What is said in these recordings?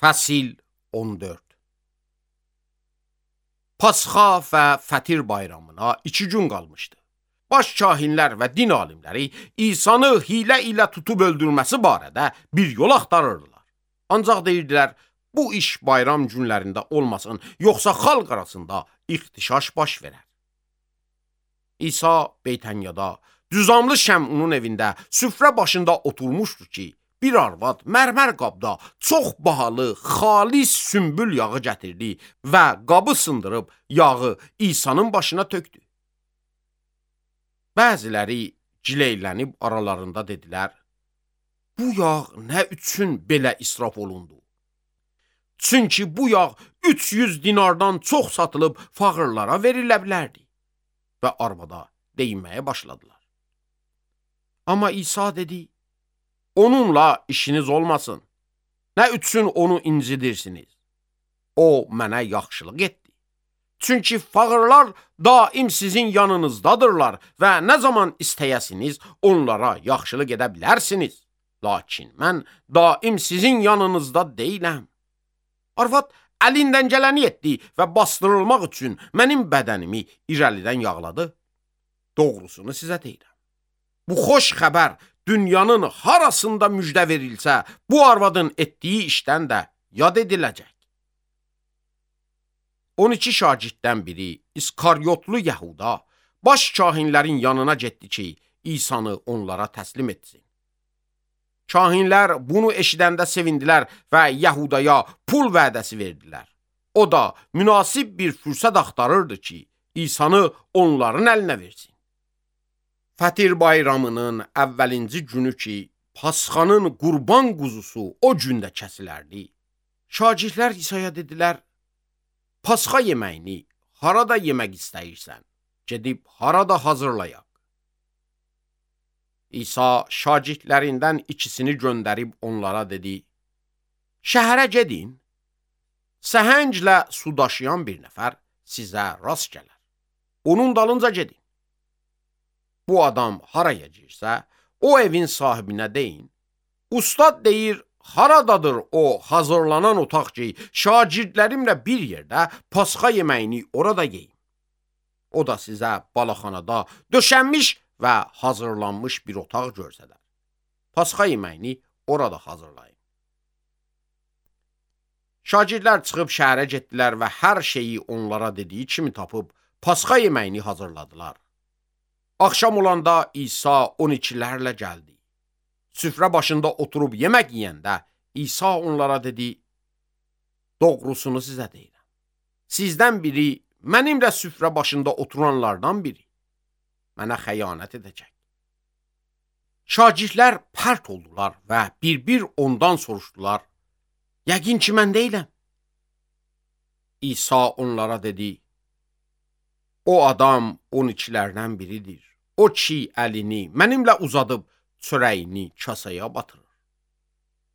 Fəsil 14. Pasxa və Fətir bayramına 2 gün qalmışdı. Baş kahinlər və din alimləri İsa'nı hilə ilə tutub öldürməsi barədə bir yol axtarırdılar. Ancaq deyirdilər, bu iş bayram günlərində olmasın, yoxsa xalq arasında ixtişaş baş verər. İsa Beytənyada, düzamlı Şəmunun evində süfrə başında oturmuşdu ki, bir arvad mərmər qabda çox bahalı, xalis sümbül yağı gətirdi və qabı sındırıb yağı İsa'nın başına tökdü. Bəziləri gileylənib aralarında dedilər, bu yağ nə üçün belə israf olundu? Çünki bu yağ 300 dinardan çox satılıb fağırlara verilə bilərdi. Və arvada deyinməyə başladılar. Amma İsa dedi, onunla işiniz olmasın. Nə üçün onu incidirsiniz? O mənə yaxşılıq etdi. Çünki fağırlar daim sizin yanınızdadırlar və nə zaman istəyəsiniz onlara yaxşılıq edə bilərsiniz. Lakin mən daim sizin yanınızda deyiləm. Arvad əlindən gələni etdi və bastırılmaq üçün mənim bədənimi irəlidən yağladı. Doğrusunu sizə deyirəm. Bu xoş xəbər dünyanın harasında müjdə verilsə, bu arvadın etdiyi işdən də yad ediləcək. 12 şagirddən biri, İskaryotlu Yəhuda, baş kahinlərin yanına getdi ki, İsa'nı onlara təslim etsin. Kahinlər bunu eşidəndə sevindilər və Yəhudaya pul vədəsi verdilər. O da münasib bir fürsət axtarırdı ki, İsa'nı onların əlinə versin. Fətir bayramının əvvəlinci günü ki, Pasxanın qurban quzusu o gündə kəsilərdi. Şagirdlər İsa'ya dedilər, Pasxa yeməyini harada yemək istəyirsən? Gedib harada hazırlayaq? İsa şagirdlərindən ikisini göndərib onlara dedi, şəhərə gedin, səhənglə su daşıyan bir nəfər sizə rast gələr. Onun dalınca gedin. Bu adam haraya girsə, o evin sahibinə deyin, ustad deyir, haradadır o hazırlanan otaq ki, şagirdlərimlə bir yerdə Pasxa yeməyini orada yeyim. O da sizə balaxanada döşənmiş və hazırlanmış bir otaq görsədər. Pasxa yeməyini orada hazırlayın. Şagirdlər çıxıb şəhərə getdilər və hər şeyi onlara dediyi kimi tapıb Pasxa yeməyini hazırladılar. Axşam olanda İsa 12'lərlə gəldi. Süfrə başında oturub yemək yeyəndə İsa onlara dedi, doğrusunu sizə deyirəm. Sizdən biri, mənimlə süfrə başında oturanlardan biri, mənə xəyanət edəcək. Şagirdlər pərt oldular və bir-bir ondan soruşdular, yəqin ki, mən deyiləm. İsa onlara dedi, o adam 12'lərdən biridir. O ki, əlini mənimlə uzadıb, çörəyini kasaya batırır.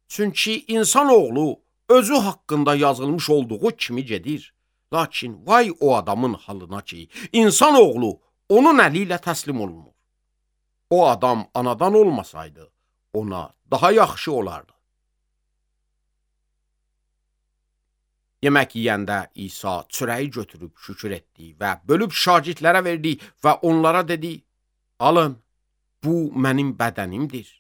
Çünki insanoğlu özü haqqında yazılmış olduğu kimi gedir. Lakin vay o adamın halına ki, insanoğlu onun əli ilə təslim olunur. O adam anadan olmasaydı, ona daha yaxşı olardı. Yemək yeyəndə İsa çörəyi götürüb şükür etdi və bölüb şagirdlərə verdi və onlara dedi, alın, bu mənim bədənimdir.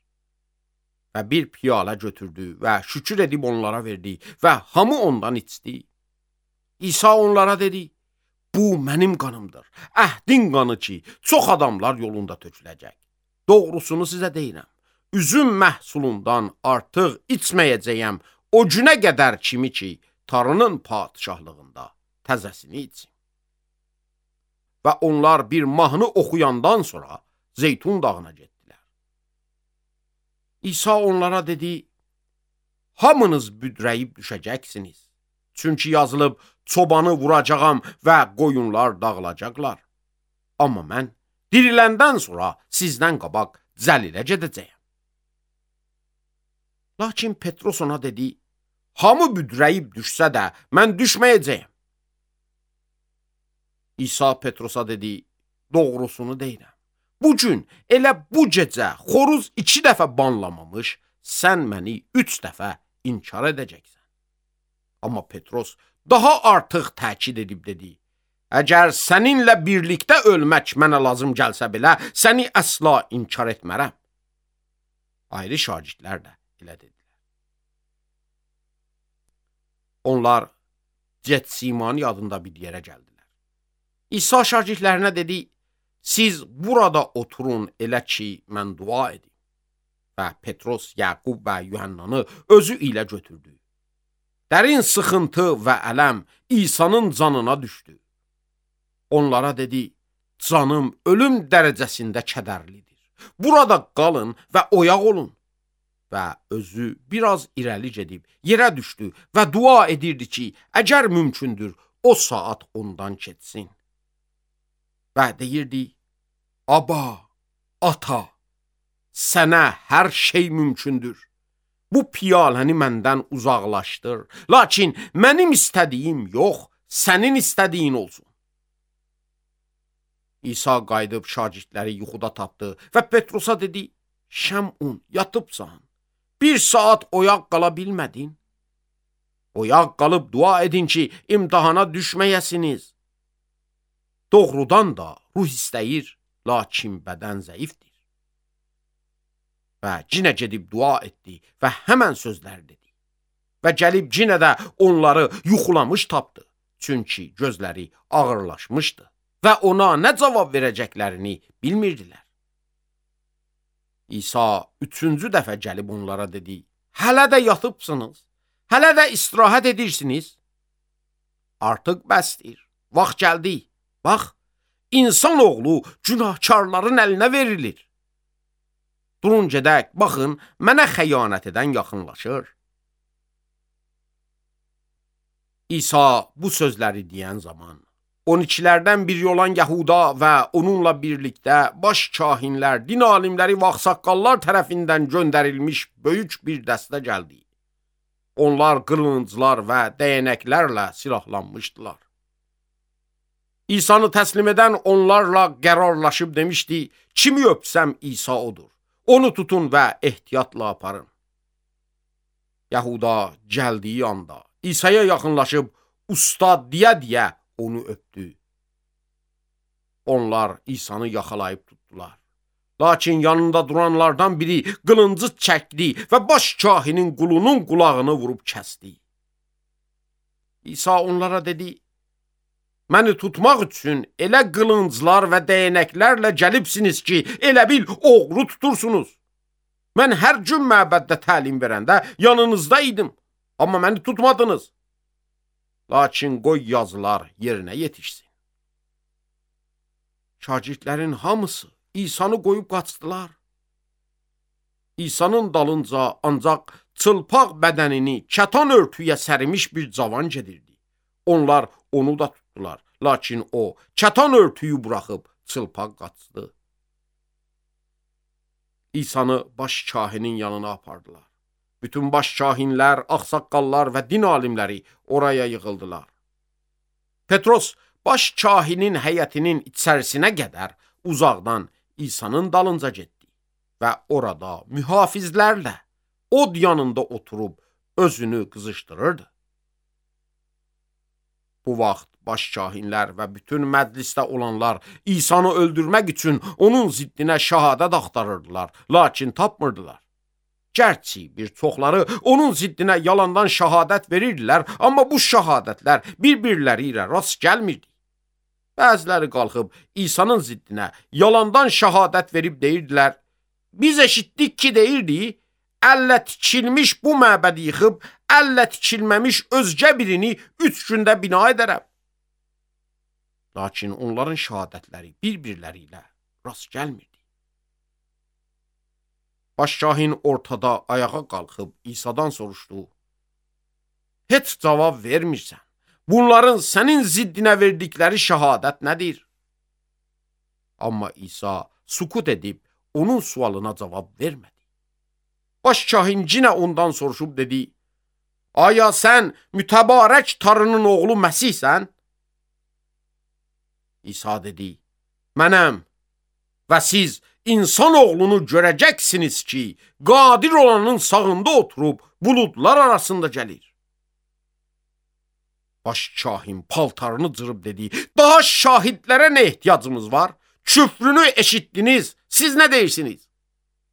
Və bir piyalə götürdü və şükür edib onlara verdi və hamı ondan içdi. İsa onlara dedi, bu mənim qanımdır, əhdin qanı ki, çox adamlar yolunda töküləcək. Doğrusunu sizə deyirəm, üzüm məhsulundan artıq içməyəcəyəm o günə qədər kimi ki, Tanrının padişahlığında təzəsini içsin. Və onlar bir mahnı oxuyandan sonra Zeytun dağına getdilər. İsa onlara dedi, hamınız büdrəyib düşəcəksiniz. Çünki yazılıb, çobanı vuracağam və qoyunlar dağılacaqlar. Amma mən diriləndən sonra sizdən qabaq Cəlilə gedəcəyəm. Lakin Petros ona dedi, hamı büdrəyib düşsə də mən düşməyəcəyəm. İsa Petrosa dedi, doğrusunu deyirəm. Bugün elə bu gecə xoruz 2 dəfə banlamamış, sən məni 3 dəfə inkar edəcəksən. Amma Petros daha artıq təkid edib dedi: Əgər səninlə birlikdə ölmək mənə lazım gəlsə belə, səni əsla inkar etmərəm. Ayrı şagirdlər də elə dedilər. Onlar Getsimani adında bir yerə gəldilər. İsa şagirdlərinə dedi: Siz burada oturun elə ki, mən dua edim. Və Petros, Yaqub və Yuhannanı özü ilə götürdü. Dərin sıxıntı və ələm İsa'nın canına düşdü. Onlara dedi: Canım ölüm dərəcəsində kədərlidir. Burada qalın və oyaq olun. Və özü biraz irəli gedib yerə düşdü və dua edirdi ki, əgər mümkündür, o saat ondan keçsin. Və deyirdi: Aba, ata, sənə hər şey mümkündür. Bu piyaləni məndən uzaqlaşdır. Lakin mənim istədiyim yox, sənin istədiyin olsun. İsa qayıdıb şagirdləri yuxuda tapdı və Petrosa dedi: Şəmun, yatıbsan. Bir saat oyaq qala bilmədin. Oyaq qalıb dua edin ki, imtahana düşməyəsiniz. Doğrudan da ruh istəyir, lakin bədən zəifdir. Və cinə gedib dua etdi və həmən sözlər dedi. Və gəlib cinə də onları yuxulamış tapdı. Çünki gözləri ağırlaşmışdı və ona nə cavab verəcəklərini bilmirdilər. İsa üçüncü dəfə gəlib onlara dedi: Hələ də yatıbsınız, hələ də istirahət edirsiniz. Artıq bəsdir, vaxt gəldi. Bax, insanoğlu günahkarların əlinə verilir. Durun gedək, baxın, mənə xəyanət edən yaxınlaşır. İsa bu sözləri deyən zaman 12-lərdən biri olan Yahuda və onunla birlikdə baş kahinlər, din alimləri və ağsaqqallar tərəfindən göndərilmiş böyük bir dəstə gəldi. Onlar qılınclar və dəyənəklərlə silahlanmışdılar. İsa'nı təslim edən onlarla qərarlaşıb demişdi: Kimi öpsəm İsa odur. Onu tutun və ehtiyatla aparın. Yahuda gəldiyi anda İsa'ya yaxınlaşıb ustad deyə onu öpdü. Onlar İsa'nı yaxalayıb tutdular. Lakin yanında duranlardan biri qılıncı çəkdi və baş kahinin qulunun qulağını vurub kəsdi. İsa onlara dedi: Məni tutmaq üçün elə qılınclar və dəyənəklərlə gəlibsiniz ki, elə bil oğru tutursunuz. Mən hər gün məbəddə təlim verəndə yanınızda idim, amma məni tutmadınız. Lakin qoy yazılar yerinə yetişsin. Şagirdlərin hamısı İsa'nı qoyub qaçdılar. İsa'nın dalınca ancaq çılpaq bədənini kətan örtüyə sərimiş bir cavan gedirdi. Onlar onu da tutdular. Lakin o kətan örtüyü buraxıb çılpaq qaçdı. İsa'nı baş kahinin yanına apardılar. Bütün baş kahinlər, ağsaqqallar və din alimləri oraya yığıldılar. Petros baş kahinin həyətinin içərisinə qədər uzaqdan İsa'nın dalınca getdi və orada mühafizlərlə od yanında oturub özünü qızışdırırdı. Bu vaxt baş kahinlər və bütün məclisdə olanlar İsa'nı öldürmək üçün onun ziddinə şəhadət axtarırdılar, lakin tapmırdılar. Gərçi bir çoxları onun ziddinə yalandan şəhadət verirdilər, amma bu şəhadətlər bir-birləri ilə rast gəlmirdi. Bəziləri qalxıb İsa'nın ziddinə yalandan şəhadət verib deyirdilər: Biz eşitdik ki, deyirdi, əllə tikilmiş bu məbədi yıxıb, əllə tikilməmiş özgə birini 3 gündə bina edərəm. Lakin onların şəhadətləri bir-birləri ilə rast gəlmirdi. Başkahin ortada ayağa qalxıb İsa'dan soruşdu: Heç cavab vermirsən. Bunların sənin ziddinə verdikləri şəhadət nədir? Amma İsa sukut edib onun sualına cavab vermədi. Başkahin yenə ondan soruşub dedi: Aya sən mütəbarək Tanrının oğlu Məsihsən? İsa dedi: Mənəm və siz İnsan oğlunu görəcəksiniz ki, qadir olanın sağında oturub buludlar arasında gəlir. Baş kahin paltarını cırıb dedi, daha şahidlərə nə ehtiyacımız var? Küfrünü eşitdiniz, siz nə deyirsiniz?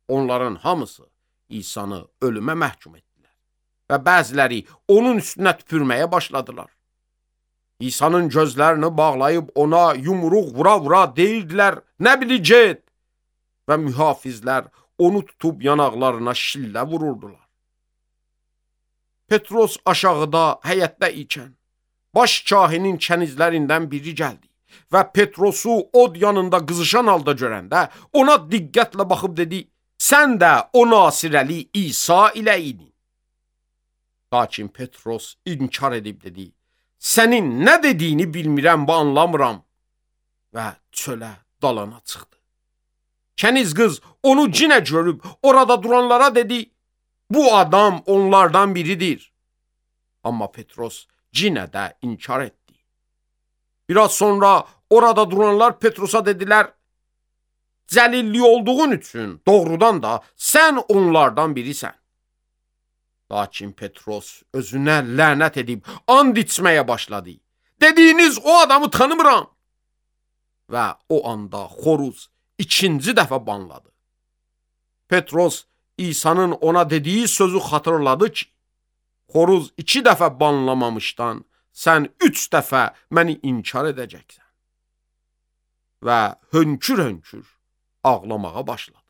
Onların hamısı İsa'nı ölümə məhkum etdilər və bəziləri onun üstünə tüpürməyə başladılar. İsa'nın gözlərini bağlayıb ona yumruq vura-vura deyirdilər, nə biləcək? Və mühafizlər onu tutub yanaqlarına şillə vururdular. Petros aşağıda həyətdə ikən, baş kahinin kənizlərindən biri gəldi və Petrosu od yanında qızışan halda görəndə ona diqqətlə baxıb dedi, sən də o Nasirəli İsa ilə idin. Lakin Petros inkar edib dedi, sənin nə dediyini bilmirəm və anlamıram və çölə dalana çıxdı. Kəniz qız onu cinə görüb orada duranlara dedi, bu adam onlardan biridir. Amma Petros cinə də inkar etdi. Biraz sonra orada duranlar Petrosa dedilər, Cəlilli olduğun üçün doğrudan da sən onlardan birisən. Lakin Petros özünə lənət edib and içməyə başladı. Dediyiniz o adamı tanımıram. Və o anda xoruz ikinci dəfə banladı. Petros İsa'nın ona dediyi sözü xatırladı ki, xoruz 2 dəfə banlamamışdan sən 3 dəfə məni inkar edəcəksən. Və hönkür-hönkür ağlamağa başladı.